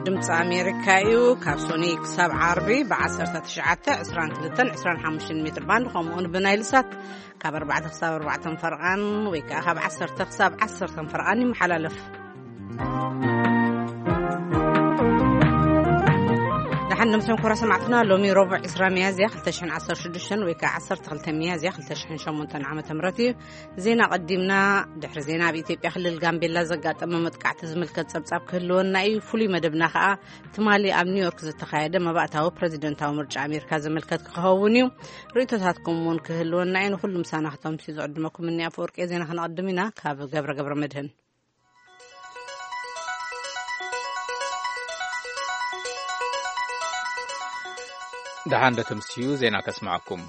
ድምፂ ኣሜሪካ እዩ። ካብ ሶኒ ክሳብ ዓርቢ ብ19፣ 22፣ 25 ሜትር ባንድ፣ ከምኡውን ብናይል ሳት ካብ ኣርባዕተ ክሳብ ኣርባዕተ ፈርቓን፣ ወይ ከዓ ካብ ዓሰርተ ክሳብ ዓሰርተ ፈርቓን ይመሓላለፍ። ደሓን ንምሰን ኮራ ሰማዕትና፣ ሎሚ ረቡዕ ዕስራ ሚያዝያ ክልተ ሽሕን ዓሰርተ ሽዱሽተን ወይ ከዓ ዓሰርተ ክልተ ሚያዝያ ክልተ ሽሕን ሸሞንተን ዓመተ ምህረት እዩ። ዜና ቀዲምና። ድሕሪ ዜና፣ ኣብ ኢትዮጵያ ክልል ጋምቤላ ዘጋጠመ መጥቃዕቲ ዝምልከት ጸብጻብ ክህልወና እዩ። ፍሉይ መደብና ከኣ ትማሊ ኣብ ኒውዮርክ ዝተኻየደ መባእታዊ ፕረዚደንታዊ ምርጫ ኣሜሪካ ዝምልከት ክኸውን እዩ። ርእይቶታትኩም እውን ክህልወና እዩ። ንኹሉ ምሳና ክተምሲ ዝዕድመኩም እኒ ኣፈወርቂ ዜና ክነቐድም ኢና። ካብ ገብረ ገብረ መድህን። ደሓን ዶ ተምስዩ ዜና ከስምዓኩም።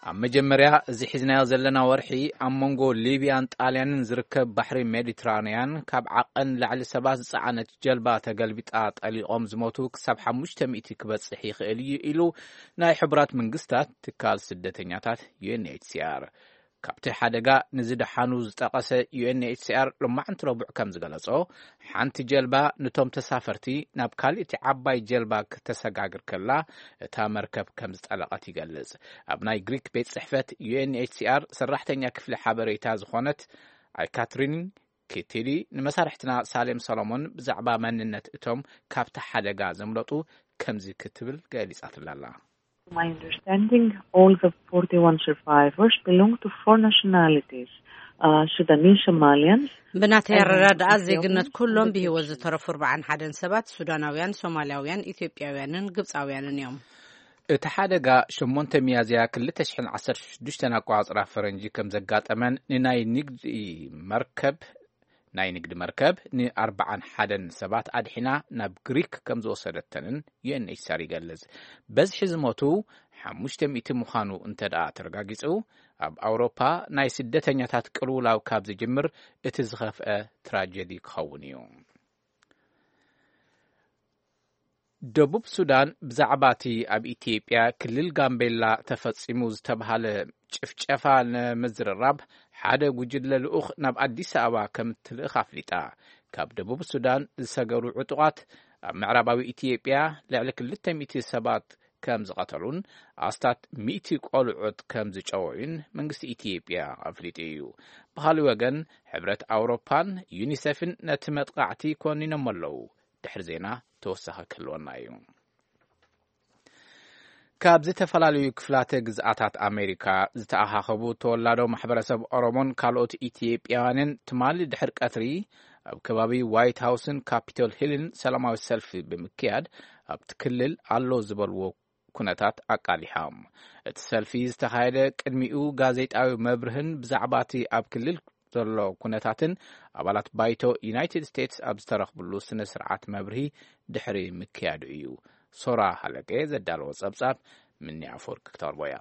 ኣብ መጀመርያ፣ እዚ ሒዝናዮ ዘለና ወርሒ ኣብ መንጎ ሊብያን ጣልያንን ዝርከብ ባሕሪ ሜዲትራንያን ካብ ዓቐን ላዕሊ ሰባት ዝጸዓነት ጀልባ ተገልቢጣ ጠሊቖም ዝሞቱ ክሳብ ሓሙሽተ ሚእቲ ክበጽሕ ይኽእል እዩ ኢሉ ናይ ሕቡራት መንግስታት ትካል ስደተኛታት፣ ዩ ኤን ኤች ሲ ኣር። ካብቲ ሓደጋ ንዝደሓኑ ዝጠቐሰ ዩ ኤን ኤች ሲ ኣር፣ ሎማዕንቲ ረቡዕ ከም ዝገለጾ፣ ሓንቲ ጀልባ ንቶም ተሳፈርቲ ናብ ካልእቲ ዓባይ ጀልባ ክተሰጋግር ከላ፣ እታ መርከብ ከም ዝጠለቐት ይገልጽ። ኣብ ናይ ግሪክ ቤት ጽሕፈት ዩ ኤን ኤች ሲ ኣር ሰራሕተኛ ክፍሊ ሓበሬታ ዝኾነት ኣይካትሪን ኪቲሊ ንመሳርሕትና ሳሌም ሰሎሞን ብዛዕባ መንነት እቶም ካብቲ ሓደጋ ዘምለጡ ከምዚ ክትብል ገሊጻትላ ኣላ። My understanding, all the forty-one survivors belong to four nationalities. Uh, Sudanese, Somalians, ብናተይ ኣረዳድኣ፣ ዜግነት ኩሎም ብህይወት ዝተረፉ ኣርባዓን ሓደን ሰባት ሱዳናውያን፣ ሶማልያውያን፣ ኢትዮጵያውያንን ግብፃውያንን እዮም። እቲ ሓደጋ ሸሞንተ ሚያዝያ ክልተ ሽሕን ዓሰርተ ሽዱሽተን ኣቋፅራ ፈረንጂ ከም ዘጋጠመን ንናይ ንግዲ መርከብ ናይ ንግዲ መርከብ ንኣርባዓን ሓደን ሰባት ኣድሒና ናብ ግሪክ ከም ዝወሰደተንን ዩ ኤን ኤች ሲ ኣር ይገልጽ። በዝሒ ዝሞቱ ሓሙሽተ ሚእቲ ምዃኑ እንተ ደኣ ተረጋጊጹ፣ ኣብ ኣውሮፓ ናይ ስደተኛታት ቅልውላው ካብ ዝጅምር እቲ ዝኸፍአ ትራጀዲ ክኸውን እዩ። ደቡብ ሱዳን ብዛዕባ እቲ ኣብ ኢትዮጵያ ክልል ጋምቤላ ተፈጺሙ ዝተብሃለ ጭፍጨፋ ንምዝርራብ ሓደ ጉጅለ ልኡኽ ናብ ኣዲስ ኣበባ ከም እትልእኽ ኣፍሊጣ። ካብ ደቡብ ሱዳን ዝሰገሩ ዕጡቓት ኣብ ምዕራባዊ ኢትዮጵያ ልዕሊ ክልተ ሚእቲ ሰባት ከም ዝቐተሉን ኣስታት ሚእቲ ቆልዑት ከም ዝጨወዩን መንግስቲ ኢትዮጵያ ኣፍሊጡ እዩ። ብኻልእ ወገን፣ ሕብረት ኣውሮፓን ዩኒሴፍን ነቲ መጥቃዕቲ ኮኒኖም ኣለዉ። ድሕሪ ዜና ተወሳኺ ክህልወና እዩ። ካብ ዝተፈላለዩ ክፍላተ ግዝኣታት ኣሜሪካ ዝተኣኻኸቡ ተወላዶ ማሕበረሰብ ኦሮሞን ካልኦት ኢትዮጵያውያንን ትማሊ ድሕሪ ቀትሪ ኣብ ከባቢ ዋይት ሃውስን ካፒቶል ሂልን ሰላማዊ ሰልፊ ብምክያድ፣ ኣብቲ ክልል ኣሎ ዝበልዎ ኩነታት ኣቃሊሖም። እቲ ሰልፊ ዝተኻየደ ቅድሚኡ ጋዜጣዊ መብርህን ብዛዕባ እቲ ኣብ ክልል ዘሎ ኩነታትን ኣባላት ባይቶ ዩናይትድ ስቴትስ ኣብ ዝተረኽብሉ ስነ ስርዓት መብርሂ ድሕሪ ምክያዱ እዩ። ሶራ ሃለቀ ዘዳለዎ ጸብጻብ፣ ምኒ ኣፈወርቂ ክተቕርቦ እያ።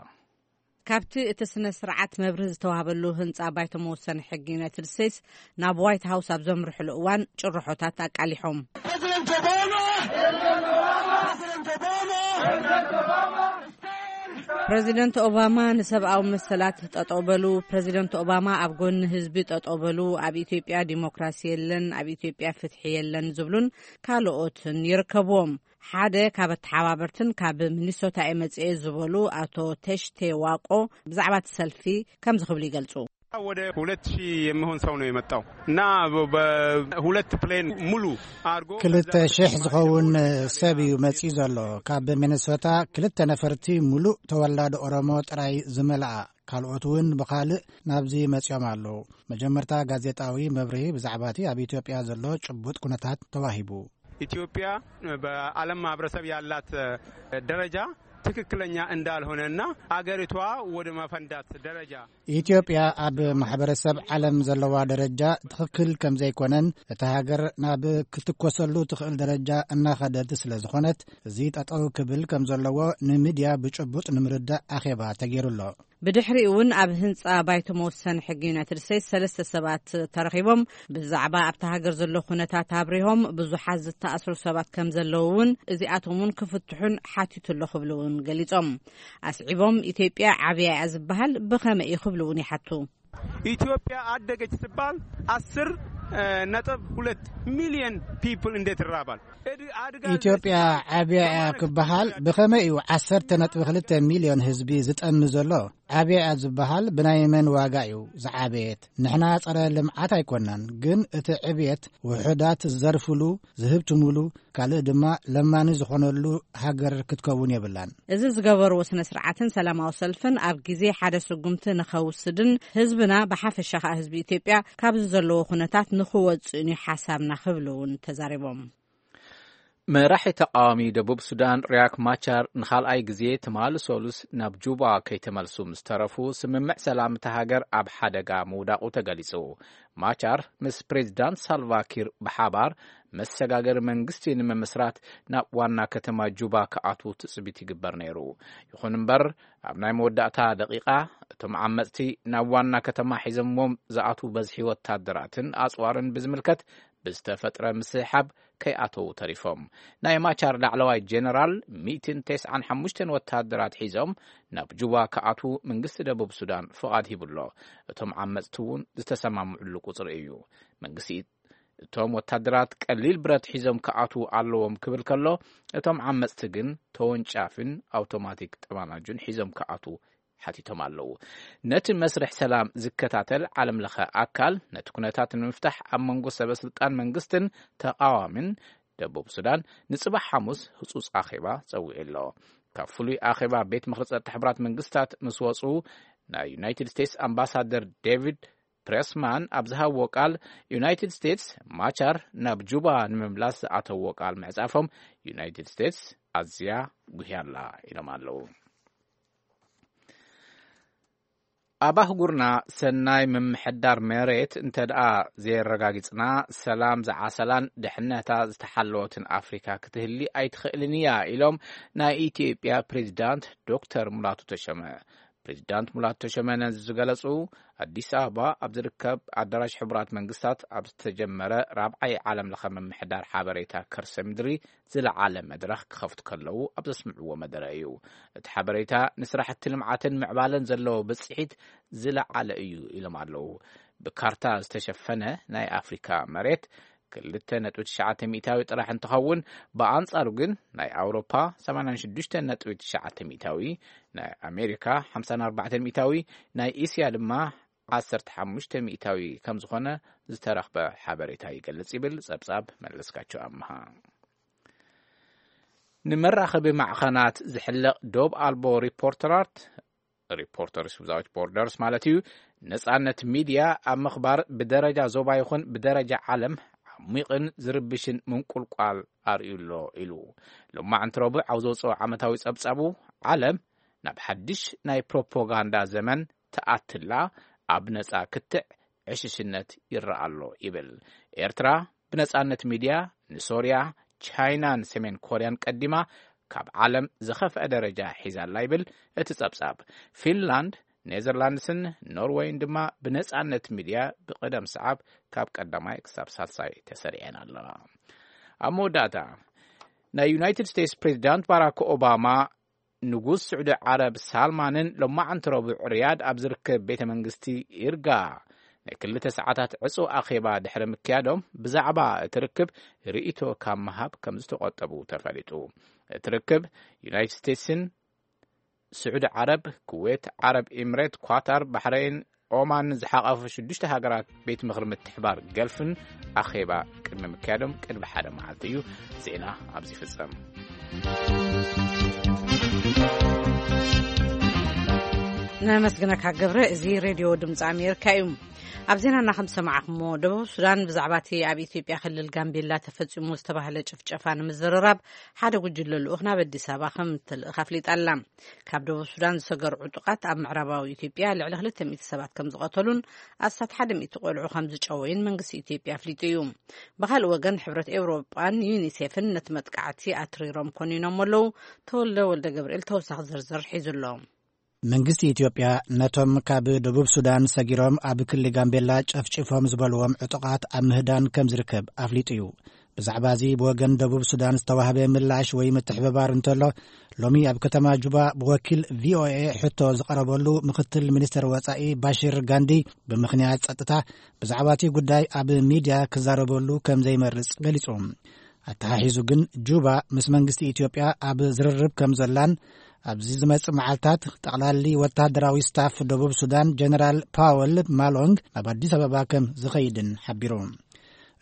ካብቲ እቲ ስነ ስርዓት መብርሂ ዝተዋህበሉ ህንጻ ባይቶ መወሰኒ ሕጊ ዩናይትድ ስቴትስ ናብ ዋይት ሃውስ ኣብ ዘምርሕሉ እዋን ጭርሖታት ኣቃሊሖም። ፕረዚደንት ኦባማ ንሰብኣዊ መሰላት ጠጠው በሉ። ፕረዚደንት ኦባማ ኣብ ጎኒ ህዝቢ ጠጠው በሉ። ኣብ ኢትዮጵያ ዲሞክራሲ የለን፣ ኣብ ኢትዮጵያ ፍትሒ የለን ዝብሉን ካልኦትን ይርከብዎም። ሓደ ካብ ኣተሓባበርትን ካብ ሚኒሶታ እየ መጽኤ ዝበሉ ኣቶ ተሽቴ ዋቆ ብዛዕባ እቲ ሰልፊ ከምዚ ክብሉ ይገልጹ። ወደ ሁለት ሺህ የሚሆን ሰው ነው የመጣው እና በ-፣ በሁለት ፕሌን ሙሉ አድርጎ ክልተ ሽሕ ዝኸውን ሰብ እዩ መጺኡ ዘሎ። ካብ ሚኒሶታ ክልተ ነፈርቲ ሙሉእ ተወላዶ ኦሮሞ ጥራይ ዝመልኣ፣ ካልኦት እውን ብኻልእ ናብዚ መጺኦም ኣለዉ። መጀመርታ ጋዜጣዊ መብርሂ ብዛዕባ እቲ ኣብ ኢትዮጵያ ዘሎ ጭቡጥ ኩነታት ተዋሂቡ። ኢትዮጵያ በዓለም ማህበረሰብ ያላት ደረጃ ትክክለኛ እንዳልሆነና አገሪቷ ወደ መፈንዳት ደረጃ ኢትዮጵያ ኣብ ማሕበረሰብ ዓለም ዘለዋ ደረጃ ትኽክል ከም ዘይኮነን እታ ሃገር ናብ ክትኮሰሉ ትኽእል ደረጃ እናኸደት ስለ ዝኾነት፣ እዚ ጠጠው ክብል ከም ዘለዎ ንሚድያ ብጭቡጥ ንምርዳእ ኣኼባ ተገይሩ ኣሎ። ብድሕሪኡ እውን ኣብ ህንጻ ባይቶ መወሰኒ ሕጊ ዩናይትድ ስቴትስ ሰለስተ ሰባት ተረኺቦም ብዛዕባ ኣብታ ሃገር ዘሎ ኩነታት ኣብሪሆም፣ ብዙሓት ዝተኣስሩ ሰባት ከም ዘለዉ እውን፣ እዚኣቶም እውን ክፍትሑን ሓቲቱ ኣሎ ክብሉ እውን ገሊጾም። ኣስዒቦም፣ ኢትዮጵያ ዓብያ እያ ዝበሃል ብኸመይ እዩ ክብሉ እውን ይሓቱ። ኢትዮጵያ አደገች ሲባል አስር ነጥብ ሁለት ሚሊዮን ፒፕል እንዴት ይራባል? ኢትዮጵያ ዓብያ እያ ክበሃል ብኸመይ እዩ ዓሰርተ ነጥቢ ክልተ ሚልዮን ህዝቢ ዝጠሚ ዘሎ? ዓብያ እያ ዝበሃል ብናይ መን ዋጋ እዩ ዝዓበየት? ንሕና ጸረ ልምዓት ኣይኮናን፣ ግን እቲ ዕብየት ውሑዳት ዝዘርፍሉ፣ ዝህብትምሉ፣ ካልእ ድማ ለማኒ ዝኾነሉ ሃገር ክትከውን የብላን። እዚ ዝገበርዎ ስነ ስርዓትን ሰላማዊ ሰልፍን ኣብ ግዜ ሓደ ስጉምቲ ንኸውስድን ህዝብና ብሓፈሻ ከኣ ህዝቢ ኢትዮጵያ ካብዚ ዘለዎ ኩነታት ንኽወጽእን እዩ ሓሳብና ክብሉ እውን ተዛሪቦም። መራሒ ተቃዋሚ ደቡብ ሱዳን ሪያክ ማቻር ንኻልኣይ ግዜ ትማሊ ሰሉስ ናብ ጁባ ከይተመልሱ ምስ ተረፉ ስምምዕ ሰላም እታ ሃገር ኣብ ሓደጋ ምውዳቑ ተገሊጹ። ማቻር ምስ ፕሬዚዳንት ሳልቫኪር ብሓባር መሰጋገሪ መንግስቲ ንምምስራት ናብ ዋና ከተማ ጁባ ክኣትዉ ትጽቢት ይግበር ነይሩ። ይኹን እምበር ኣብ ናይ መወዳእታ ደቂቓ እቶም ዓመጽቲ ናብ ዋና ከተማ ሒዘምዎም ዝኣትዉ በዝሒ ወታደራትን ኣጽዋርን ብዝምልከት ብዝተፈጥረ ምስሕሓብ ከይኣተዉ ተሪፎም። ናይ ማቻር ላዕለዋይ ጀነራል ሚእትን ተስዓን ሓሙሽተን ወታደራት ሒዞም ናብ ጁባ ክኣትዉ መንግስቲ ደቡብ ሱዳን ፍቓድ ሂቡ ኣሎ። እቶም ዓመጽቲ እውን ዝተሰማምዕሉ ቁጽሪ እዩ። መንግስቲ እቶም ወታደራት ቀሊል ብረት ሒዞም ክኣትዉ ኣለዎም ክብል ከሎ፣ እቶም ዓመጽቲ ግን ተወንጫፍን ኣውቶማቲክ ጠባናጁን ሒዞም ክኣትዉ ሓቲቶም ኣለዉ። ነቲ መስርሕ ሰላም ዝከታተል ዓለም ለኸ ኣካል ነቲ ኩነታት ንምፍታሕ ኣብ መንጎ ሰበ ስልጣን መንግስትን ተቃዋሚን ደቡብ ሱዳን ንጽባሕ ሓሙስ ህጹጽ ኣኼባ ጸዊዑ ኣሎ። ካብ ፍሉይ ኣኼባ ቤት ምኽሪ ጸጥታ ሕቡራት መንግስታት ምስ ወጹ ናይ ዩናይትድ ስቴትስ ኣምባሳደር ዴቪድ ፕሬስማን ኣብ ዝሃብዎ ቃል፣ ዩናይትድ ስቴትስ ማቻር ናብ ጁባ ንምምላስ ዝኣተዎ ቃል ምዕጻፎም ዩናይትድ ስቴትስ ኣዝያ ጉህያ ኣላ ኢሎም ኣለዉ። ኣብ ኣህጉርና ሰናይ ምምሕዳር መሬት እንተ ደኣ ዘየረጋጊጽና፣ ሰላም ዝዓሰላን ድሕነታ ዝተሓለወትን ኣፍሪካ ክትህሊ ኣይትኽእልን እያ ኢሎም ናይ ኢትዮጵያ ፕሬዚዳንት ዶክተር ሙላቱ ተሸመ። ፕሬዚዳንት ሙላቱ ተሸመ ነዚ ዝገለጹ ኣዲስ ኣበባ ኣብ ዝርከብ ኣዳራሽ ሕቡራት መንግስታት ኣብ ዝተጀመረ ራብዓይ ዓለም ለኸ ምምሕዳር ሓበሬታ ከርሰ ምድሪ ዝለዓለ መድረኽ ክኸፍቱ ከለዉ ኣብ ዘስምዕዎ መደረ እዩ። እቲ ሓበሬታ ንስራሕቲ ልምዓትን ምዕባለን ዘለዎ ብጽሒት ዝለዓለ እዩ ኢሎም ኣለዉ። ብካርታ ዝተሸፈነ ናይ ኣፍሪካ መሬት ክልተ ነጥቢ ትሽዓተ ሚእታዊ ጥራሕ እንትኸውን፣ ብኣንጻሩ ግን ናይ ኣውሮፓ ሰማንያን ሽዱሽተ ነጥቢ ትሽዓተ ሚእታዊ፣ ናይ ኣሜሪካ ሓምሳን ኣርባዕተን ሚእታዊ፣ ናይ እስያ ድማ ዓሰርተ ሓሙሽተ ሚእታዊ ከም ዝኾነ ዝተረኽበ ሓበሬታ ይገልጽ ይብል ጸብጻብ መለስካቸው ኣምሃ። ንመራኸቢ ማዕኸናት ዝሕለቕ ዶብ ኣልቦ ሪፖርተራት፣ ሪፖርተርስ ዊዛውት ቦርደርስ ማለት እዩ፣ ነጻነት ሚድያ ኣብ ምኽባር ብደረጃ ዞባ ይኹን ብደረጃ ዓለም ዓሚቕን ዝርብሽን ምንቁልቋል ኣርእዩ ኣሎ ኢሉ። ሎማዕንቲ ረቡዕ ኣብ ዘውፅኦ ዓመታዊ ጸብጻቡ፣ ዓለም ናብ ሓድሽ ናይ ፕሮፓጋንዳ ዘመን ተኣትላ፣ ኣብ ነጻ ክትዕ ዕሽሽነት ይረኣ ኣሎ ይብል። ኤርትራ ብነጻነት ሚድያ ንሶርያ፣ ቻይናን ሰሜን ኮርያን ቀዲማ ካብ ዓለም ዝኸፍአ ደረጃ ሒዛ ኣላ ይብል እቲ ጸብጻብ። ፊንላንድ፣ ኔዘርላንድስን ኖርወይን ድማ ብነጻነት ሚድያ ብቕደም ሰዓብ ካብ ቀዳማይ ክሳብ ሳልሳይ ተሰሪዐን ኣለዋ። ኣብ መወዳእታ፣ ናይ ዩናይትድ ስቴትስ ፕሬዚዳንት ባራክ ኦባማ ንጉስ ስዑዲ ዓረብ ሳልማንን ሎማዕንቲ ረቡዕ ሪያድ ኣብ ዝርከብ ቤተ መንግስቲ ይርጋ ናይ ክልተ ሰዓታት ዕጹ ኣኼባ ድሕሪ ምክያዶም፣ ብዛዕባ እቲ ርክብ ርእይቶ ካብ ምሃብ ከም ዝተቖጠቡ ተፈሊጡ። እቲ ርክብ ዩናይትድ ስቴትስን ስዑዲ ዓረብ፣ ኩዌት፣ ዓረብ ኤምሬት፣ ኳታር፣ ባሕረይን ኦማን ዝሓቐፈ ሽዱሽተ ሃገራት ቤት ምኽሪ ምትሕባር ገልፍን ኣኼባ ቅድሚ ምክያዶም ቅድሚ ሓደ መዓልቲ እዩ። ዜና ኣብዚ ይፍጸም። ነመስግነካ ገብረ። እዚ ሬድዮ ድምፂ ኣሜሪካ እዩ። ኣብ ዜናና ከም ዝሰማዕኹሞ፣ ደቡብ ሱዳን ብዛዕባ እቲ ኣብ ኢትዮጵያ ክልል ጋምቤላ ተፈጺሙ ዝተባህለ ጭፍጨፋ ንምዝርራብ ሓደ ጉጅለ ልኡኽ ናብ ኣዲስ ኣበባ ከም እትልእኽ ኣፍሊጣ ኣላ። ካብ ደቡብ ሱዳን ዝሰገሩ ዕጡቓት ኣብ ምዕራባዊ ኢትዮጵያ ልዕሊ ክልተ ሚእቲ ሰባት ከም ዝቐተሉን ኣስታት ሓደ ሚእቲ ቆልዑ ከም ዝጨወዩን መንግስቲ ኢትዮጵያ ኣፍሊጡ እዩ። ብኻልእ ወገን፣ ሕብረት ኤውሮጳን ዩኒሴፍን ነቲ መጥቃዕቲ ኣትሪሮም ኮኒኖም ኣለዉ። ተወልደ ወልደ ገብርኤል ተወሳኺ ዝርዝር ሒዙ ኣሎ። መንግስቲ ኢትዮጵያ ነቶም ካብ ደቡብ ሱዳን ሰጊሮም ኣብ ክሊ ጋምቤላ ጨፍጪፎም ዝበልዎም ዕጡቓት ኣብ ምህዳን ከም ዝርከብ ኣፍሊጡ እዩ። ብዛዕባ እዚ ብወገን ደቡብ ሱዳን ዝተዋህበ ምላሽ ወይ ምትሕብባር እንተሎ፣ ሎሚ ኣብ ከተማ ጁባ ብወኪል ቪ ኦ ኤ ሕቶ ዝቐረበሉ ምክትል ሚኒስተር ወጻኢ ባሽር ጋንዲ፣ ብምኽንያት ጸጥታ ብዛዕባ እቲ ጉዳይ ኣብ ሚድያ ክዛረበሉ ከም ዘይመርጽ ገሊጹ። ኣተሓሒዙ ግን፣ ጁባ ምስ መንግስቲ ኢትዮጵያ ኣብ ዝርርብ ከም ዘላን ኣብዚ ዝመጽእ መዓልታት ጠቕላሊ ወተሃደራዊ ስታፍ ደቡብ ሱዳን ጀነራል ፓወል ማሎንግ ናብ ኣዲስ ኣበባ ከም ዝኸይድን ሓቢሩ።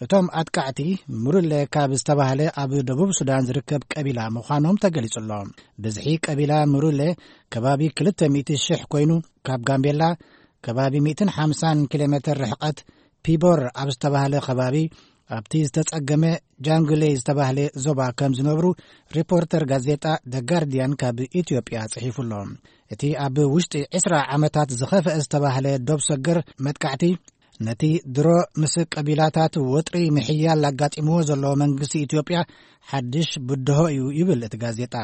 እቶም ኣጥቃዕቲ፣ ሙሩለ ካብ ዝተባህለ ኣብ ደቡብ ሱዳን ዝርከብ ቀቢላ ምዃኖም ተገሊጹ ኣሎ። ብዝሒ ቀቢላ ሙሩለ ከባቢ ክልተ ሚእቲ ሽሕ ኮይኑ፣ ካብ ጋምቤላ ከባቢ ሚእትን ሓምሳን ኪሎ ሜትር ርሕቀት ፒቦር ኣብ ዝተባህለ ከባቢ ኣብቲ ዝተጸገመ ጃንጉሌ ዝተባህለ ዞባ ከም ዝነብሩ ሪፖርተር ጋዜጣ ደ ጋርዲያን ካብ ኢትዮጵያ ጽሒፉ ኣሎ። እቲ ኣብ ውሽጢ ዕስራ ዓመታት ዝኸፍአ ዝተባህለ ዶብ ሰገር መጥቃዕቲ፣ ነቲ ድሮ ምስ ቀቢላታት ወጥሪ ምሕያል ኣጋጢምዎ ዘሎ መንግስቲ ኢትዮጵያ ሓድሽ ብድሆ እዩ ይብል እቲ ጋዜጣ።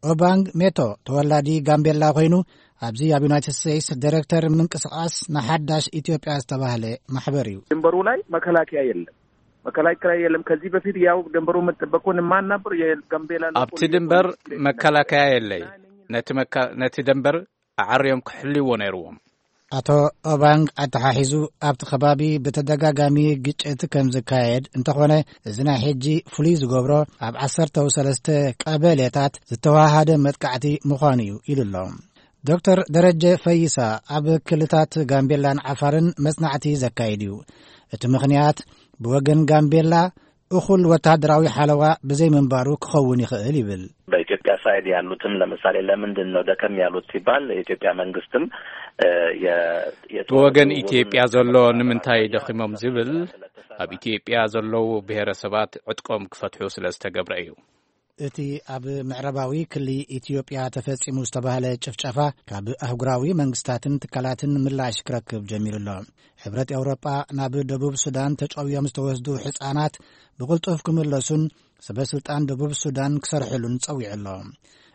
ኦባንግ ሜቶ ተወላዲ ጋምቤላ ኮይኑ፣ ኣብዚ ኣብ ዩናይትድ ስቴትስ ዳይሬክተር ምንቅስቓስ ንሓዳሽ ኢትዮጵያ ዝተባህለ ማሕበር እዩ። ድንበሩ ላይ መከላከያ የለም። መከላከያ የለም። ከዚህ በፊት ያው ድንበሩ መጠበቁን የማናበር የጋምቤላ ሎኮ ኣብቲ ድንበር መከላከያ የለይ። ነቲ መካ-፣ ነቲ ደንበር ኣዓርዮም ክሕልይዎ ነይርዎም። ኣቶ ኦባንግ ኣተሓሒዙ፣ ኣብቲ ከባቢ ብተደጋጋሚ ግጭት ከም ዝካየድ እንተኾነ፣ እዚ ናይ ሕጂ ፍሉይ ዝገብሮ ኣብ ዓሰርተው ሰለስተ ቀበሌታት ዝተዋሃደ መጥቃዕቲ ምዃኑ እዩ ኢሉ ኣሎ። ዶክተር ደረጀ ፈይሳ ኣብ ክልታት ጋምቤላን ዓፋርን መጽናዕቲ ዘካይድ እዩ። እቲ ምኽንያት ብወገን ጋምቤላ እኹል ወተሃደራዊ ሓለዋ ብዘይምንባሩ ክኸውን ይኽእል ይብል። በኢትዮጵያ ሳይድ ያሉትን ለምሳሌ ለምንድን ነው ደከም ያሉት ሲባል የኢትዮጵያ መንግስትም፣ እ፣ የ-፣ የጦር ብወገን ዝውውሩን ኢትዮጵያ ዘሎ ለመቆጣጠር ንምንታይ ደኺሞም ዝብል፣ ስለተሰራ ኣብ ኢትዮጵያ ዘለዉ ብሄረሰባት ዕጥቆም ክፈትሑ ስለ ዝተገብረ እዩ። እቲ ኣብ ምዕራባዊ ክሊ ኢትዮጵያ ተፈጺሙ ዝተባህለ ጭፍጨፋ ካብ ኣህጉራዊ መንግስታትን ትካላትን ምላሽ ክረክብ ጀሚሩ ኣሎ። ሕብረት ኤውሮጳ ናብ ደቡብ ሱዳን ተጨውዮም ዝተወስዱ ሕጻናት ብቕልጡፍ ክምለሱን ሰበ ስልጣን ደቡብ ሱዳን ክሰርሕሉን ጸዊዑ ኣሎ።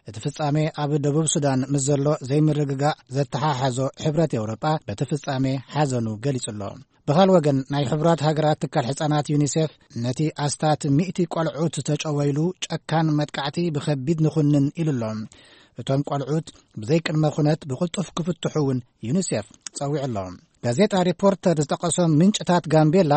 እቲ ፍጻሜ ኣብ ደቡብ ሱዳን ምስ ዘሎ ዘይምርግጋእ ዘተሓሓዞ ሕብረት ኤውሮጳ በቲ ፍጻሜ ሓዘኑ ገሊጹ ኣሎ። ብኻል ወገን ናይ ሕቡራት ሃገራት ትካል ሕጻናት ዩኒሴፍ ነቲ ኣስታት ሚእቲ ቆልዑት ተጨወይሉ ጨካን መጥቃዕቲ ብኸቢድ ንኹንን ኢሉ ኣሎ። እቶም ቆልዑት ብዘይ ቅድመ ኩነት ብቕልጡፍ ክፍትሑ እውን ዩኒሴፍ ጸዊዑ ኣሎ። ጋዜጣ ሪፖርተር ዝጠቐሶም ምንጭታት ጋምቤላ፣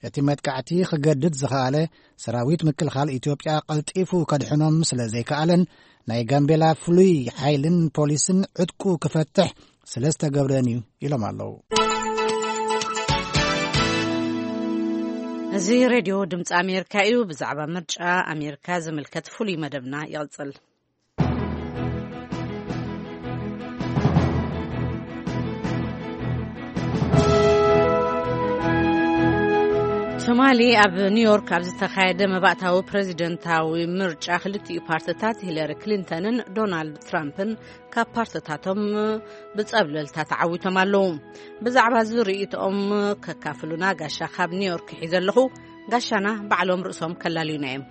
እቲ መጥቃዕቲ ክገድድ ዝኸኣለ ሰራዊት ምክልኻል ኢትዮጵያ ቀልጢፉ ከድሕኖም ስለ ዘይከኣለን ናይ ጋምቤላ ፍሉይ ሓይልን ፖሊስን ዕጥቁ ክፈትሕ ስለ ዝተገብረን እዩ ኢሎም ኣለዉ። እዚ ሬድዮ ድምፂ ኣሜሪካ እዩ። ብዛዕባ ምርጫ ኣሜሪካ ዝምልከት ፍሉይ መደብና ይቕጽል። ትማሊ ኣብ ኒውዮርክ ኣብ ዝተኻየደ መባእታዊ ፕሬዚደንታዊ ምርጫ ክልቲኡ ፓርትታት ሂለሪ ክሊንተንን ዶናልድ ትራምፕን ካብ ፓርትታቶም ብጸብለልታ ተዓዊቶም ኣለዉ። ብዛዕባ እዚ ርእይቶኦም ከካፍሉና ጋሻ ካብ ኒውዮርክ ሒዘ ኣለኹ። ጋሻና ባዕሎም ርእሶም ከላልዩና እዮም።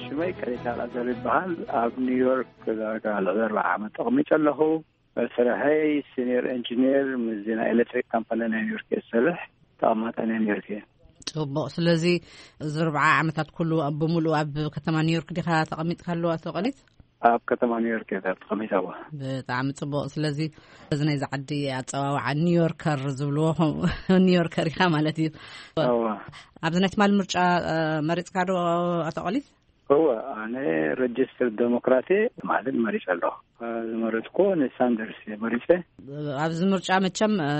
ሽመይ ቀሪታ ላዘር ይበሃል። ኣብ ኒውዮርክ ዳርጋ ልዕሊ ኣርባዓ ዓመት ተቐሚጠ ኣለኹ። ስርሐይ ሲኒየር ኢንጂኒየር ምስዚ ናይ ኤሌክትሪክ ካምፓኒ ናይ ኒውዮርክ እየ ዝሰርሕ። ተቐማጣ ናይ ኒውዮርክ እየ። ጽቡቕ። ስለዚ እዚ ኣርባዓ ዓመታት ኩሉ ኣብ ብምሉኡ ኣብ ከተማ ኒውዮርክ ዲኻ ተቐሚጥካ ኣለዋ ተቐሊት? ኣብ ከተማ ኒውዮርክ እየ ተቐሚጠ ኣለኹ። ብጣዕሚ ጽቡቕ። ስለዚ እዚ ናይዚ ዓዲ ኣጸዋውዓ ኒውዮርከር ዝብልዎ ኒውዮርከር ኢኻ ማለት እዩ። እወ። ኣብዚ ናይ ትማሊ ምርጫ፣ እ፣ መሪጽካ ዶ ኣቶ ቀሊት? እወ፣ ኣነ ረጅስተር ዴሞክራት እየ ማለት መሪጸ ኣለኹ። እ፣ ዝመረጽኩ ንሳንደርስ እየ መሪጸ። ኣብዚ ምርጫ መቸም፣ እ፣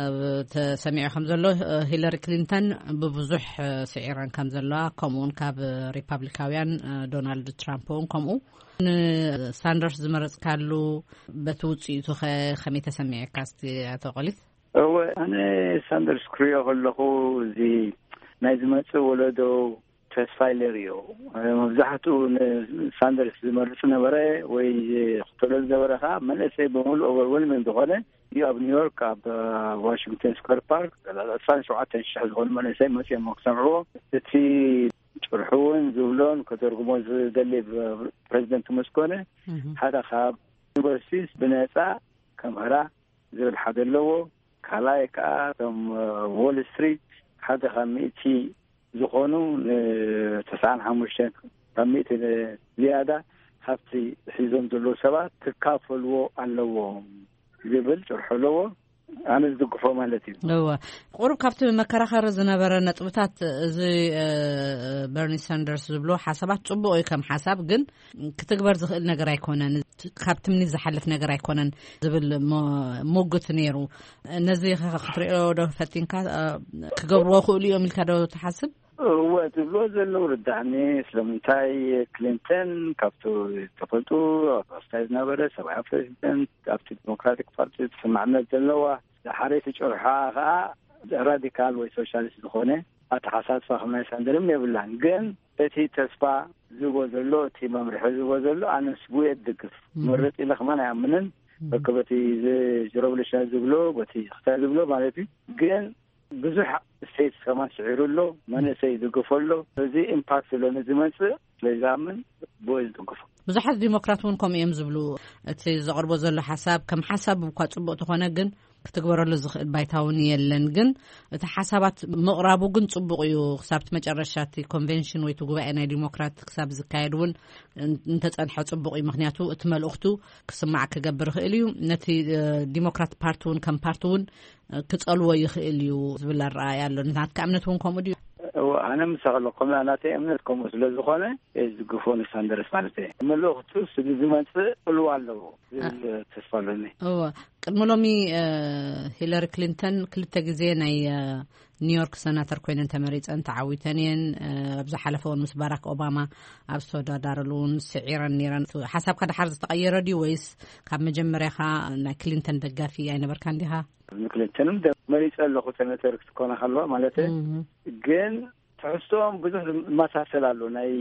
ኣብ ተሰሚዑ ከም ዘሎ፣ እ፣ ሂለሪ ክሊንተን ብብዙሕ፣ እ፣ ስዒረን ከም ዘለዋ፣ ከምኡ እውን ካብ ሪፓብሊካውያን፣ እ፣ ዶናልድ ትራምፕ እውን ከምኡ። ንሳንደርስ ዝመረጽካሉ በቲ ውጽኢቱ ኸ ከመይ ተሰሚዐካ እስቲ ኣቶ ቀሊት? እወ፣ ኣነ ሳንደርስ ክሪኦ ከለኹ፣ እዚ ናይ ዝመጽእ ወለዶ ተስፋ ኢለ ርእዮ። መብዛሕትኡ ንሳንደርስ ዝመርጽ ነበረ ወይ ዝኽተሎ ዝነበረ ኸኣ መንእሰይ ብምሉእ ኦቨርዌልሚንግ ዝኾነ እዩ። ኣብ ኒውዮርክ ኣብ ዋሽንግተን ስኩዌር ፓርክ ዕስራን ሸውዓተን ሽሕ ዝኾኑ መንእሰይ መጺኦም ክሰምዕዎ፣ እቲ ጭርሑ እውን ዝብሎን ከተርጉሞ ዝደሊ ፕሬዚደንት ምስ ኮነ፣ ሓደ ካብ ዩኒቨርሲቲስ ብነጻ ከምህራ ዝብል ሓደ ኣለዎ። ካልኣይ ከዓ እቶም ዎል ስትሪት ሓደ ካብ ሚእቲ ዝኾኑ ንተስዓን ሓሙሽተን ካብ ሚእቲ ዝያዳ ሃብቲ ሒዞም ዘለዉ ሰባት ክካፈልዎ ኣለዎም ዝብል ጭርሖ ኣለዎ። ኣነ ዝድግፎ ማለት እዩ። እወ፣ ቁሩብ ካብቲ መከራኸሪ ዝነበረ ነጥብታት እዚ በርኒ ሳንደርስ ዝብሎ ሓሳባት ጽቡቕ እዩ ከም ሓሳብ፣ ግን ክትግበር ዝኽእል ነገር ኣይኮነን፣ ካብ ትምኒት ዝሓልፍ ነገር ኣይኮነን ዝብል ሞግት ነይሩ። ነዚ ክትሪኦ ዶ ፈቲንካ? ክገብርዎ ክእሉ እዮም ኢልካ ዶ ትሓስብ? እወ፣ ዝብሎ ዘለዉ ርዳእኒ። ስለምንታይ ክሊንተን ካብቲ ተፈልጡ ኣስታይ ዝነበረ ሰብኣዊ ፕሬዚደንት ኣብቲ ዲሞክራቲክ ፓርቲ ተሰማዕነት ዘለዋ፣ ዝሓረይቲ ጭርሖ ከዓ ራዲካል ወይ ሶሻሊስት ዝኾነ ኣተሓሳስባ ከም ናይ ሳንደርም የብላን። ግን እቲ ተስፋ ዝቦ ዘሎ፣ እቲ መምርሒ ዝቦ ዘሎ ኣነስ ብኡ እየ ዝድግፍ። መረፅ ኢለ ከማን ኣይኣምንን። በከ በቲ ዚ ሬቮሉሽን ዝብሎ በቲ ክታይ ዝብሎ ማለት እዩ። ግን ብዙሕ ስቴትስ ከማን ስዒሩ ኣሎ፣ መንእሰይ ይድግፎ ኣሎ። እዚ ኢምፓክት ስለ ንዝመፅእ ስለ ዝኣምን ብኡ ዝድግፎ። ብዙሓት ዲሞክራት እውን ከምኡ እዮም ዝብሉ። እቲ ዘቕርቦ ዘሎ ሓሳብ ከም ሓሳብ እኳ ፅቡቅ ተኾነ ግን ክትግበረሉ ዝኽእል ባይታ እውን የለን። ግን እቲ ሓሳባት ምቕራቡ ግን ጽቡቕ እዩ። ክሳብ እቲ መጨረሻ እቲ ኮንቨንሽን ወይ እቲ ጉባኤ ናይ ዲሞክራት ክሳብ ዝካየድ እውን እንተጸንሐ ጽቡቕ እዩ። ምክንያቱ እቲ መልእኽቱ ክስማዕ ክገብር ይኽእል እዩ። ነቲ ዲሞክራት ፓርቲ እውን ከም ፓርቲ እውን ክጸልዎ ይኽእል እዩ ዝብል ኣረኣእያ ኣሎ። ናትካ እምነት እውን ከምኡ ድዩ? ኣነ ምሳኸ ኣለኹ። ናተይ እምነት ከምኡ ስለ ዝኾነ ዝግፎ ንሳንደርስ ማለት እየ። መልእኽቱ ስለ ዝመጽእ ጽልዋ ኣለዎ ዝብል ተስፋ ኣለኒ። እወ፣ ቅድሚ ሎሚ ሂለሪ ክሊንተን ክልተ ግዜ ናይ ኒውዮርክ ሰናተር ኮይነን ተመሪፀን ተዓዊተን እየን። ኣብ ዝሓለፈ እውን ምስ ባራክ ኦባማ ኣብ ዝተወዳዳረሉ እውን ስዒረን ነይረን። ሓሳብካ ድሓር ዝተቐየረ ድዩ ወይስ ካብ መጀመርያኻ ናይ ክሊንተን ደጋፊ ኣይነበርካን ዲኻ? ንክሊንተን እውን መሪፀ ኣለኹ፣ ሰናተር ክትኮና ከለዋ ማለት ግን ትሕዝቶኦም ብዙሕ ዝመሳሰል ኣሎ። ናይ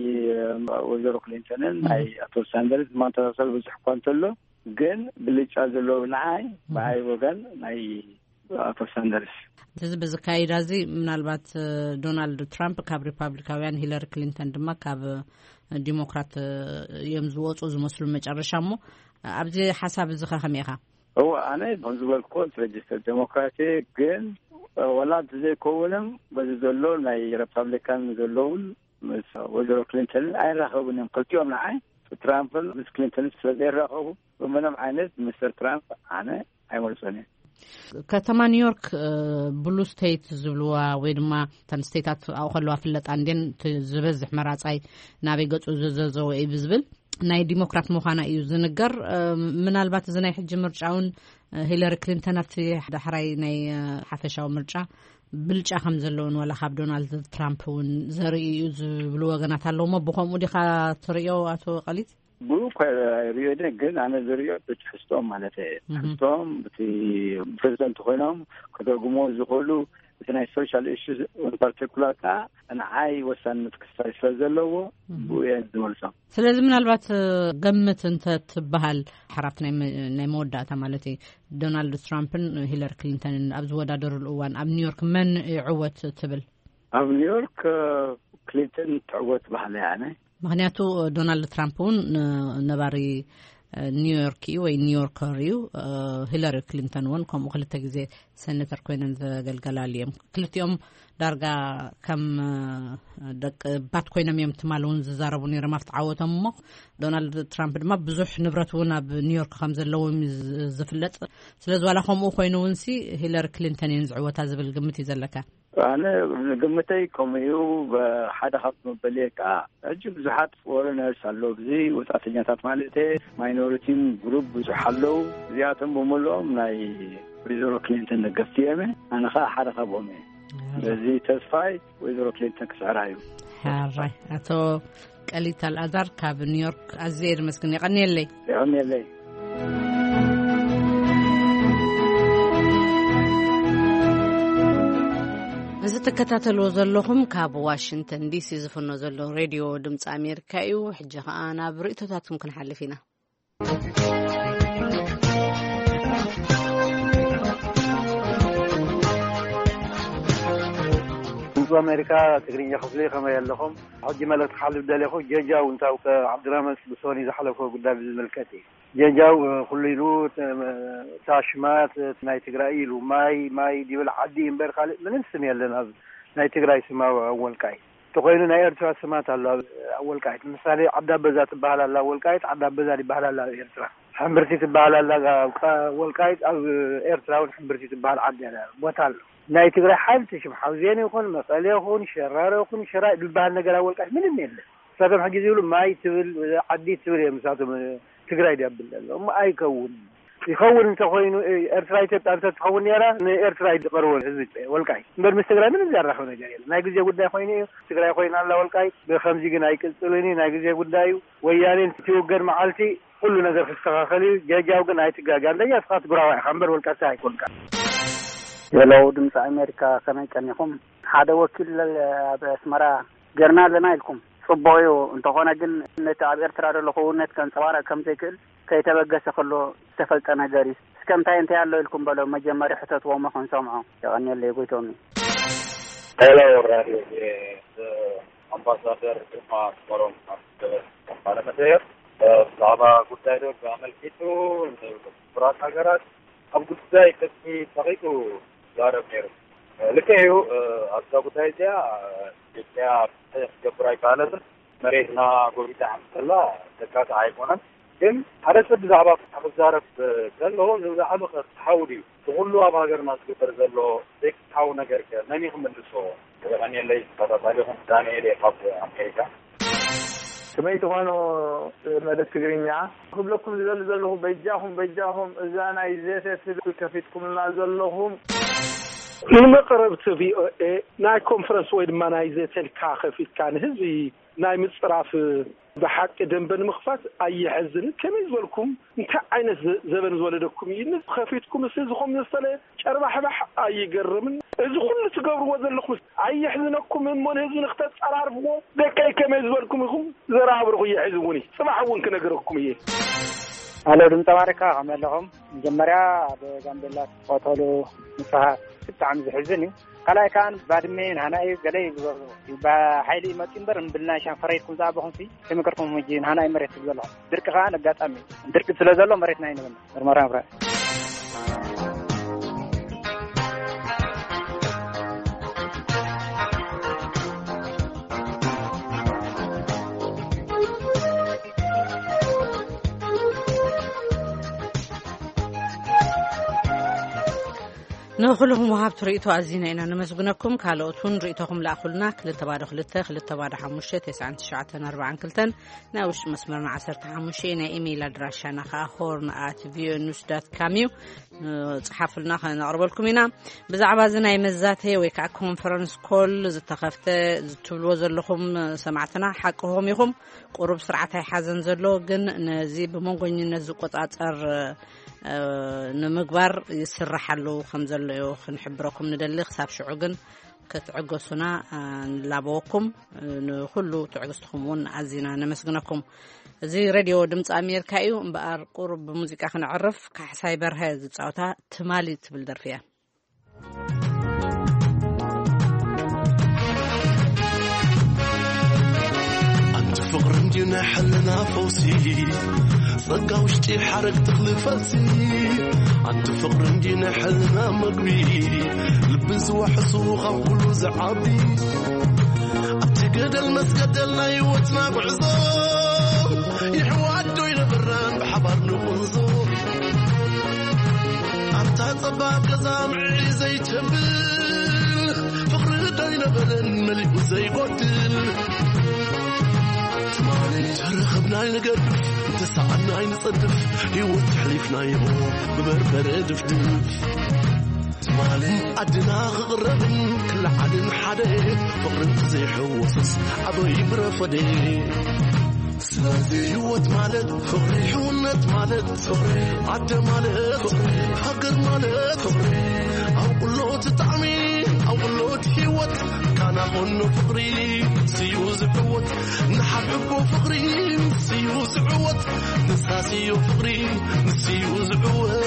ወይዘሮ ክሊንተንን ናይ ኣቶ ሳንደርስ ዝመሳሰል ብዙሕ እኳ እንተሎ ግን ብልጫ ዘለዎ ንዓይ ብኣይ ወገን ናይ ኣቶ ሳንደርስ። እዚ ብዝካይዳ እዚ ምናልባት ዶናልድ ትራምፕ ካብ ሪፓብሊካውያን ሂለሪ ክሊንተን ድማ ካብ ዲሞክራት እዮም ዝወፁ ዝመስሉ መጨረሻ። እሞ ኣብዚ ሓሳብ እዚ ከ ከመይ ኢኻ? እወ፣ ኣነ ከም ዝበልኩ ሬጅስተር ዴሞክራሲ ግን ወላ እንተዘይከውንም በዚ ዘሎ ናይ ሪፓብሊካን ዘለውን ምስ ወይዘሮ ክሊንተንን ኣይራኸቡን እዮም። ክልቲኦም ንዓይ ትራምፕን ምስ ክሊንተን ስለ ዘይራኸቡ ብምንም ዓይነት ሚስተር ትራምፕ ኣነ ኣይመርጾን እየ። ከተማ ኒውዮርክ ብሉ ስቴት ዝብልዋ ወይ ድማ ተን ስቴታት ኣብኡ ከለዋ ፍለጣ እንድን ዝበዝሕ መራፃይ ናበይ ገፁ ዝዘዘወ እዩ ብዝብል ናይ ዲሞክራት ምዃና እዩ ዝንገር። ምናልባት እዚ ናይ ሕጂ ምርጫ እውን ሂለሪ ክሊንተን ኣብቲ ዳሕራይ ናይ ሓፈሻዊ ምርጫ ብልጫ ከም ዘለውን ዋላ ካብ ዶናልድ ትራምፕ እውን ዘርኢ እዩ ዝብሉ ወገናት ኣለውሞ። ብኸምኡ ዲኻ ትርእዮ ኣቶ ቀሊት? ብኡ እኳ ይርእዮ፣ ግን ኣነ ዝርእዮ ብትሕዝቶም ማለት እየ። ትሕዝቶም እቲ ፕሬዚደንት ኮይኖም ክደግሞ ዝኽእሉ እቲ ናይ ሶሻል ኢሹ ፓርቲኩላር ከዓ ንዓይ ወሳንነት ክሳይ ስለ ዘለዎ ብኡ እየ ዝመልሶም። ስለዚ ምናልባት ገምት እንተ ትበሃል ሓራፍት ናይ መወዳእታ ማለት እዩ ዶናልድ ትራምፕን ሂለሪ ክሊንተንን ኣብ ዝወዳደሩሉ እዋን ኣብ ኒውዮርክ መን ይዕወት ትብል? ኣብ ኒውዮርክ ክሊንተን ትዕወት ባህለ ያነ ምክንያቱ ዶናልድ ትራምፕ እውን ነባሪ ኒውዮርክ እዩ ወይ ኒውዮርከር እዩ። ሂለሪ ክሊንተን እውን ከምኡ ክልተ ግዜ ሰነተር ኮይነን ዘገልገላሉ እዮም። ክልቲኦም ዳርጋ ከም ደቂ ባት ኮይኖም እዮም ትማል እውን ዝዛረቡ ነይሮም ኣብቲ ዓወቶም። እሞ ዶናልድ ትራምፕ ድማ ብዙሕ ንብረት እውን ኣብ ኒውዮርክ ከም ዘለዎም ዝፍለጥ። ስለዚ ዋላ ከምኡ ኮይኑ እውን ሲ ሂለሪ ክሊንተን እየን ዝዕወታ ዝብል ግምት እዩ ዘለካ? ኣነ ግምተይ ከምኡ እዩ። ብሓደ ካብ መበልየ ከዓ ሕጂ ብዙሓት ፎረነርስ ኣለዉ፣ እዚ ወፃእተኛታት ማለት ማይኖሪቲን ግሩፕ ብዙሕ ኣለዉ። እዚኣቶም ብምልኦም ናይ ወይዘሮ ክሊንተን ደገፍቲ እዮም። ኣነ ከዓ ሓደ ካብኦም እየ። በዚ ተስፋይ ወይዘሮ ክሊንተን ክስዕራ እዩ። ሕራይ ኣቶ ቀሊት ኣልኣዛር ካብ ኒውዮርክ ኣዝየ የመስግን። የቐንየለይ። የቐንየለይ። እዚ ትከታተልዎ ዘለኹም ካብ ዋሽንግተን ዲሲ ዝፍኖ ዘሎ ሬድዮ ድምፂ ኣሜሪካ እዩ። ሕጂ ኸዓ ናብ ርእቶታትኩም ክንሓልፍ ኢና። ኣሜሪካ ትግርኛ ክፍሊ ከመይ ኣለኹም? ሕጂ መልእክቲ ክሓልፍ ደለኹ። ጀጃው እንታው ከ ዓብድራመስ ብሶኒ ዝሓለፈ ጉዳይ ብዝምልከት እዩ። ጀጃው ኩሉ ኢሉ ታሽማት ናይ ትግራይ ኢሉ ማይ ማይ ዲብል ዓዲ እምበር ካልእ ምንም ስም የለን። ኣብ ናይ ትግራይ ስም ኣብ ወልቃይ ተኮይኑ ናይ ኤርትራ ስማት ኣሎ። ኣብ ወልቃይት ንምሳሌ ዓዲ ኣበዛ ትበሃል ኣላ። ወልቃይት ዓዲ ኣበዛ ይበሃል ኣላ ኣብ ኤርትራ። ሕምብርቲ ትበሃል ኣላ። ወልቃይት ኣብ ኤርትራ እውን ሕምብርቲ ትበሃል ዓዲ ኣላ፣ ቦታ ኣሎ። ናይ ትግራይ ሓንቲ ሽም ሓውዜን ይኹን መቐለ ይኹን ሸራሮ ይኹን ሽራይ ዝበሃል ነገር ኣብ ወልቃይት ምንም የለን። ንሳቶም ሕጂ ዝብሉ ማይ ትብል ዓዲ ትብል እዮም። ንሳቶም ትግራይ ድያ ብል ዘሎ እሞ ኣይከውን። ይኸውን እንተኮይኑ ኤርትራ ኢትዮጵያ እንተትኸውን ነራ ንኤርትራ ይቀርቦ ህዝቢ ወልቃይት እምበር ምስ ትግራይ ምንም ዘራኸብ ነገር የለን። ናይ ግዜ ጉዳይ ኮይኑ እዩ። ትግራይ ኮይና ኣላ ወልቃይት። ብከምዚ ግን ኣይቅፅልን እዩ። ናይ ግዜ ጉዳይ እዩ። ወያኔ እንትትውገድ መዓልቲ ኩሉ ነገር ክስተኻኸል እዩ። ጀጃው ግን ኣይትጋጋ። እንደያ እስኻ ትግራዋይ ኢኻ እምበር ወልቃይት ኣይኮንካ። ሄሎ ድምፂ ኣሜሪካ፣ ከመይ ቀኒኹም? ሓደ ወኪል ኣብ ኣስመራ ገርና ኣለና ኢልኩም፣ ጽቡቕ እዩ። እንተኾነ ግን ነቲ ኣብ ኤርትራ ዘሎ ክውንነት ከንጸባርቕ ከም ዘይክእል ከይተበገሰ ከሎ ዝተፈልጠ ነገር እዩ። እስከ እንታይ እንታይ ኣሎ ኢልኩም በሎ፣ መጀመሪ ሕተትዎም ክንሰምዖ። የቐንየለይ ጎይቶሚ። ሄሎ ራድዮ፣ ኣምባሳደር ግርማ ኣስመሮም ኣብ ቃለ መጠየቕ ብዛዕባ ጉዳይ ደርጊ ኣመልኪቱ ንሕቡራት ሃገራት ኣብ ጉዳይ ቅድሚ ጸቒጡ ይዛረብ ነይሩ። ልክዕ እዩ። ኣብዛ ጉዳይ እዚኣ ኢትዮጵያ ክትገብር ኣይከኣለትን። መሬትና ጎቢጣ ሓምሰላ ተካትዓ ኣይኮነን። ግን ሓደ ሰብ ብዛዕባ ፍትሒ ክዛረብ ከሎ ዝለዓሉ ክሓውድ እዩ። እቲ ኩሉ ኣብ ሃገርና ዝግበር ዘሎ ዘይፍትሓዊ ነገር ከ መን እዩ ክምልሶ? የቐንየለይ። ተኸታታሊኹም ዳንኤል እየ ካብ ኣሜሪካ። ከመይ ትኾኑ መደብ ትግርኛ? ክብለኩም ዝደሊ ዘለኹ በጃኹም፣ በጃኹም እዛ ናይ ዘተ ትብል ከፊትኩምልና ዘለኹም። ንመቕረብቲ ቪኦኤ ናይ ኮንፈረንስ ወይ ድማ ናይ ዘተ ኢልካ ከፊትካ ንህዝቢ ናይ ምጽራፍ ብሓቂ ደንበ ንምኽፋት ኣየሐዝንን? ከመይ ዝበልኩም እንታይ ዓይነት ዘ-፣ ዘበን ዝወለደኩም እዩ? ከፊትኩም እዚ ዝኾም መሰለ ጨርባሕባሕ ኣይገርምን? እዚ ኩሉ ትገብርዎ ዘለኹም ኣየሕዝነኩም እሞ ንህዝቢ ንክተጸራርፍዎ ደቀይ ከመይ ዝበልኩም ኢኹም ዘራብርኹ? የሕዝውኒ ጽባሕ እውን ክነግረኩም እየ። ኣሎ ድምፂ ኣሜሪካ ከመይ ኣለኹም? መጀመርያ ኣብ ጋምቤላ ተቐተሉ ንጹሃት ብጣዕሚ ዝሕዝን እዩ። ካልኣይ ከዓ ባድመ ንሃና እዩ ገለ እዩ ዝበሉ። ብሓይሊ ይመፁ እምበር ንብልና ሻንፈረይትኩም ዝኣበኹም ሲ ከመይ ገርኩም ሕጂ ንሃና እዩ መሬት ትብሉ ኣለኹም። ድርቂ ከዓ ነጋጣሚ ድርቂ ስለ ዘሎ መሬትና ይንበልና። ምርመራ ምረ ንኹልኹም ወሃብቲ ርእይቶ ኣዚና ኢና ነመስግነኩም። ካልኦት እውን ርእይቶኹም ለኣኹልና። ክልተ ባዶ ክልተ፣ ክልተ ባዶ ሓሙሽተ፣ ተስዓን ትሽዓተን ኣርባዓን ክልተን፣ ናይ ውሽጢ መስመርና ዓሰርተ ሓሙሽተ፣ ናይ ኢሜይል ኣድራሻና ከዓ ሆርን ኣት ቪኦኤ ኒውስ ዳት ካም እዩ። እ፣ ጽሓፉልና፣ ከነቕርበልኩም ኢና። ብዛዕባ እዚ ናይ መዛተይ ወይ ከዓ ኮንፈረንስ ኮል ዝተኸፍተ ትብልዎ ዘለኹም ሰማዕትና፣ ሓቅኹም ኢኹም። ቁሩብ ስርዓት ኣይሓዘን ዘሎ፣ ግን ነዚ ብመንጎኝነት ዝቆጻጸር፣ እ፣ ንምግባር ይስራሕ ኣሎ ከም ዘሎ እዩ ክንሕብረኩም ንደሊ። ክሳብ ሽዑ ግን ክትዕገሱና፣ እ፣ ንላበወኩም። እ፣ ንኹሉ ትዕግስትኹም እውን ኣዚና ነመስግነኩም። እዚ ሬድዮ ድምፂ ኣሜሪካ እዩ። እምበኣር ቁሩብ ብሙዚቃ ክነዕርፍ። ካሕሳይ በርሀ ዝፃወታ ትማሊ ትብል ደርፊ እያ። ኣንቲ ፍቕሪ እንድዩ ናይ ሕልና ፈውሲ፣ ጸጋ ውሽጢ ሓረግ ተኽሊ ፈልሲ። ኣንቲ ፍቕሪ እንድዩ ናይ ሕልና መግቢ፣ ልቢ ዝዋሕሱ ካብ ኩሉ ዝዓቢ። ኣብቲ ገደል መስገደል ናይ ህይወትና ጉዕዞ፣ ይሕዋት ዶ ይነበራን ብሓባር ንቑንዞ። ኣብታ ጸባብ ገዛ ምዕሪ ዘይተብል፣ ፍቕሪ ዶ ይነበረን መሊኡ ዘይጎድል። ትማሊ ተረኸብና ኣይንገድፍ፣ እንተሰኣና ኣይንጸድፍ፣ ህይወት ኣሕሊፍናዮ ብበርበረ ድፍድፍ። ትማሊ ዓድና ክቕረብን ክለዓልን ሓደ፣ ፍቕሪ እንተዘይሕወስስ ኣበይ ምረፈደ። ስለዚ ህይወት ማለት ፍቕሪ፣ ሕውነት ማለት ፍቕሪ፣ ዓደ ማለት ፍቕሪ፣ ሃገር ማለት ፍቕሪ። ኣውቅሎ እቲ ጣዕሚ፣ ኣውቅሎ እቲ ህይወት፣ ካና ኾኖ ፍቕሪ ስዩ ዝዕወት። ንሓብሕቦ ፍቕሪ ስዩ ዝዕወት፣ ንሳስዮ ፍቕሪ ስዩ ዝዕወት።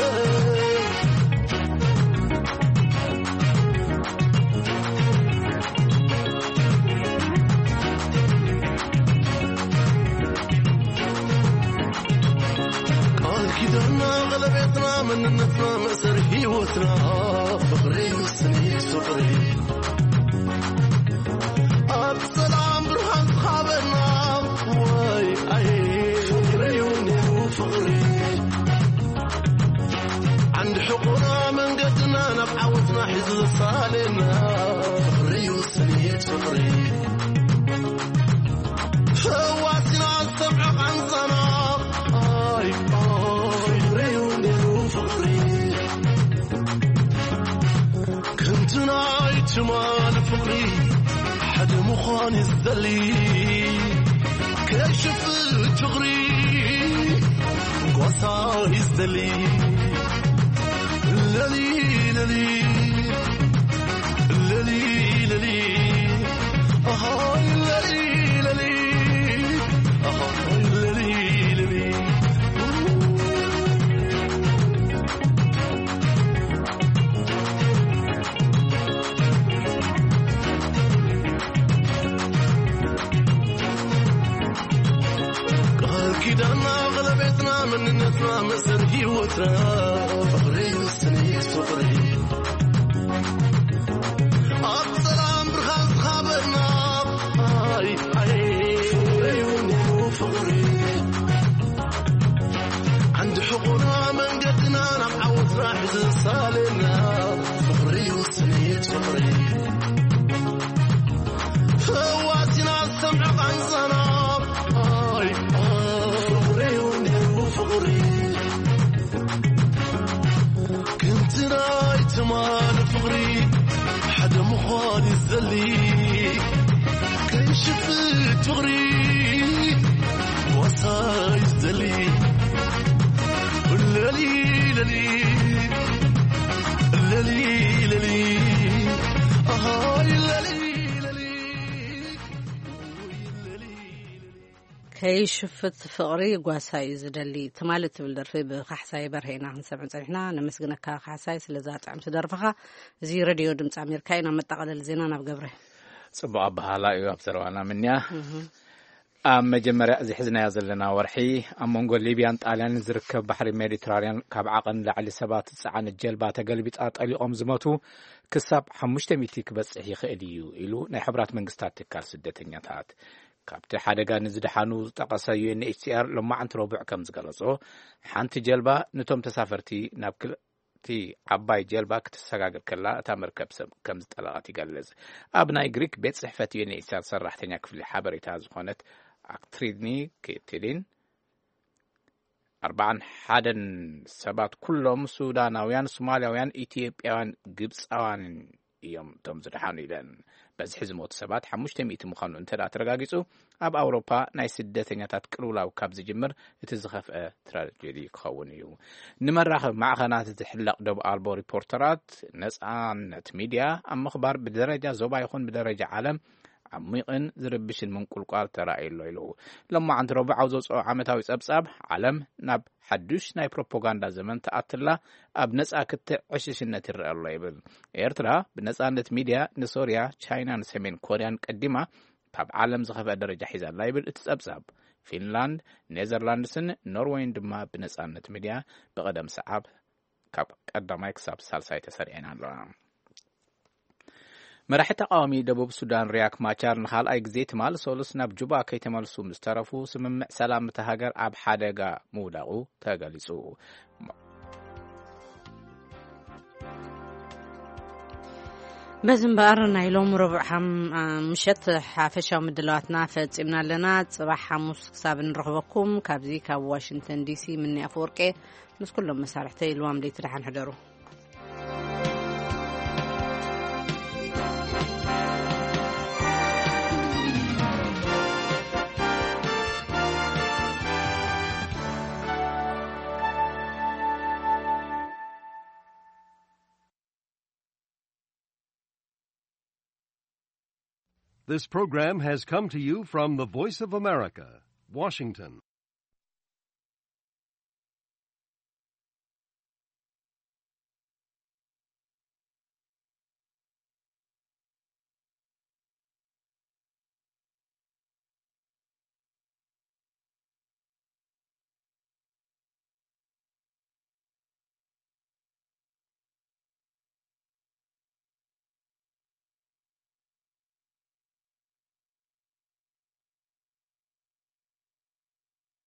ኪዳና ቀለቤትና መንነትና መእሰር ህይወትና ፍቕሪ እዩ ስኒት ፍቕሪ ኣብ ሰላም ብርሃን ዝሃበና ወይ ኣይ ፍቕሪ እዩ ነይሩ ፍቕሪ ዓንዲ ሕቑና መንገድና ናብ ዓወትና ሒዙ ዘሳለና ፍቕሪ እዩ ስኒት ፍቕሪ ፈዋሲና ዝሰምዐ ቃንዛና ኣይ ፍቕሪ እዩ ነይሩ ፍቕሪ ከምቲ ናይ ትማል ፍቕሪ ሓደ ምዃን ይዝደሊ ከይሽፍእ ፍቕሪ ጓሳ ይዝደሊ ለሊ ለሊ ለሊ ለሊ ኣሃይ ለሊ ለሊ ኣሃይ ለሊ ለሊ ቃል ኪዳና ቀለቤትና መንነትና መእሰር ህይወትና ፍቕሪ እዩ ስኒት ፍቕሪ ኣብ ሰላም ብርሃን ዝሃበና ኣይ ኣይ ፍቕሪ እዩ ፍቕሪ ዓንዲ ሕቑና መንገድና ናብ ዓወትና ሒዙ ዘሳለና ፍቕሪ እዩ ስኒት ፍቕሪ ፈዋሲና ዝሰምዐ ቃንዛና ኣይ ፍቕሪ እዩ ነይሩ ፍቕሪ ከምቲ ናይ ትማል ፍቕሪ ሓደ ምዃን ይዘሊ ከይሽፍት ፍቕሪ ዋሳይ ዝደሊ ለሊ ለሊ ለሊ ለሊ ኣሃይ ለሊ ለሊ ለሊ ከይሽፍት ፍቕሪ ጓሳ እዩ ዝደሊ ትማሊ እትብል ደርፊ ብካሕሳይ በርሀ ኢና ክንሰምዕ ጸኒሕና። ነመስግነካ ካሕሳይ ስለዛ ጥዕምቲ ደርፍኻ። እዚ ሬድዮ ድምፂ ኣሜሪካ እዩ። ናብ መጠቓለሊ ዜና ናብ ገብረ። ጽቡቕ ኣበሃህላ እዩ ኣብ ዘረባና ምንያ። ኣብ መጀመርያ እዚ ሒዝናዮ ዘለና ወርሒ ኣብ መንጎ ሊብያን ጣልያንን ዝርከብ ባሕሪ ሜዲትራንያን ካብ ዓቐን ላዕሊ ሰባት ዝጸዓነት ጀልባ ተገልቢጣ ጠሊቖም ዝሞቱ ክሳብ ሓሙሽተ ሚእቲ ክበጽሕ ይኽእል እዩ ኢሉ ናይ ሕቡራት መንግስታት ትካል ስደተኛታት። ካብቲ ሓደጋ ንዝደሓኑ ዝጠቐሰ ዩ ኤን ኤች ሲ ኣር ሎማዓንቲ ረቡዕ ከም ዝገለጾ ሓንቲ ጀልባ ነቶም ተሳፈርቲ ናብ ክል እቲ ዓባይ ጀልባ ክትሰጋገር ከላ እታ መርከብ ሰብ ከም ዝጠለቐት ይገልጽ። ኣብ ናይ ግሪክ ቤት ጽሕፈት ዩ ኤን ኤች ሲ ኣር ሰራሕተኛ ክፍሊ ሓበሬታ ዝኾነት ኣክትሪኒ ኬቲሊን ኣርባዓን ሓደን ሰባት ኩሎም ሱዳናውያን፣ ሶማልያውያን፣ ኢትዮጵያውያን፣ ግብጻውያንን እዮም እቶም ዝደሓኑ ኢለን። በዝሒ ዝሞቱ ሰባት ሓሙሽተ ሚእቲ ምዃኑ እንተ ደኣ ተረጋጊጹ፣ ኣብ ኣውሮፓ ናይ ስደተኛታት ቅልውላው ካብ ዝጅምር እቲ ዝኸፍአ ትራጀዲ ክኸውን እዩ። ንመራኸቢ ማዕኸናት ዝሕለቕ ደብ ኣልቦ ሪፖርተራት ነጻነት ሚድያ ኣብ ምኽባር ብደረጃ ዞባ ይኹን ብደረጃ ዓለም ዓሚቕን ዝርብሽን ምንቁልቋል ተራእዩ ኣሎ ኢሉ። ሎማዓንቲ ረቡዕ ኣብ ዘውፅኦ ዓመታዊ ጸብጻብ ዓለም ናብ ሓዱሽ ናይ ፕሮፓጋንዳ ዘመን ተኣትላ ኣብ ነጻ ክትዕ ዕሽሽነት ይረአ ኣሎ ይብል። ኤርትራ ብነጻነት ሚድያ ንሶርያ፣ ቻይናን ሰሜን ኮርያን ቀዲማ ካብ ዓለም ዝኸፍአ ደረጃ ሒዛ ኣላ ይብል እቲ ጸብጻብ። ፊንላንድ፣ ኔዘርላንድስን ኖርወይን ድማ ብነጻነት ሚድያ ብቐደም ሰዓብ ካብ ቀዳማይ ክሳብ ሳልሳይ ተሰሪዐን ኣለዋ። መራሒ ተቃዋሚ ደቡብ ሱዳን ሪያክ ማቻር ንኻልኣይ ግዜ ትማል ሰሉስ ናብ ጁባ ከይተመልሱ ምስ ተረፉ ስምምዕ ሰላም እታ ሃገር ኣብ ሓደጋ ምውዳቑ ተገሊጹ። በዚ እምበኣር ናይ ሎም ረቡዕ ሓም- ምሸት ሓፈሻዊ ምድላዋትና ፈጺምና ኣለና። ጽባሕ ሓሙስ ክሳብ ንረኽበኩም ካብዚ ካብ ዋሽንግተን ዲሲ ምኒ ኣፈወርቄ ምስ ኩሎም መሳርሕተይ ልዋም ለይቲ ደሓን ሕደሩ። This program has come to you from the Voice of America, Washington.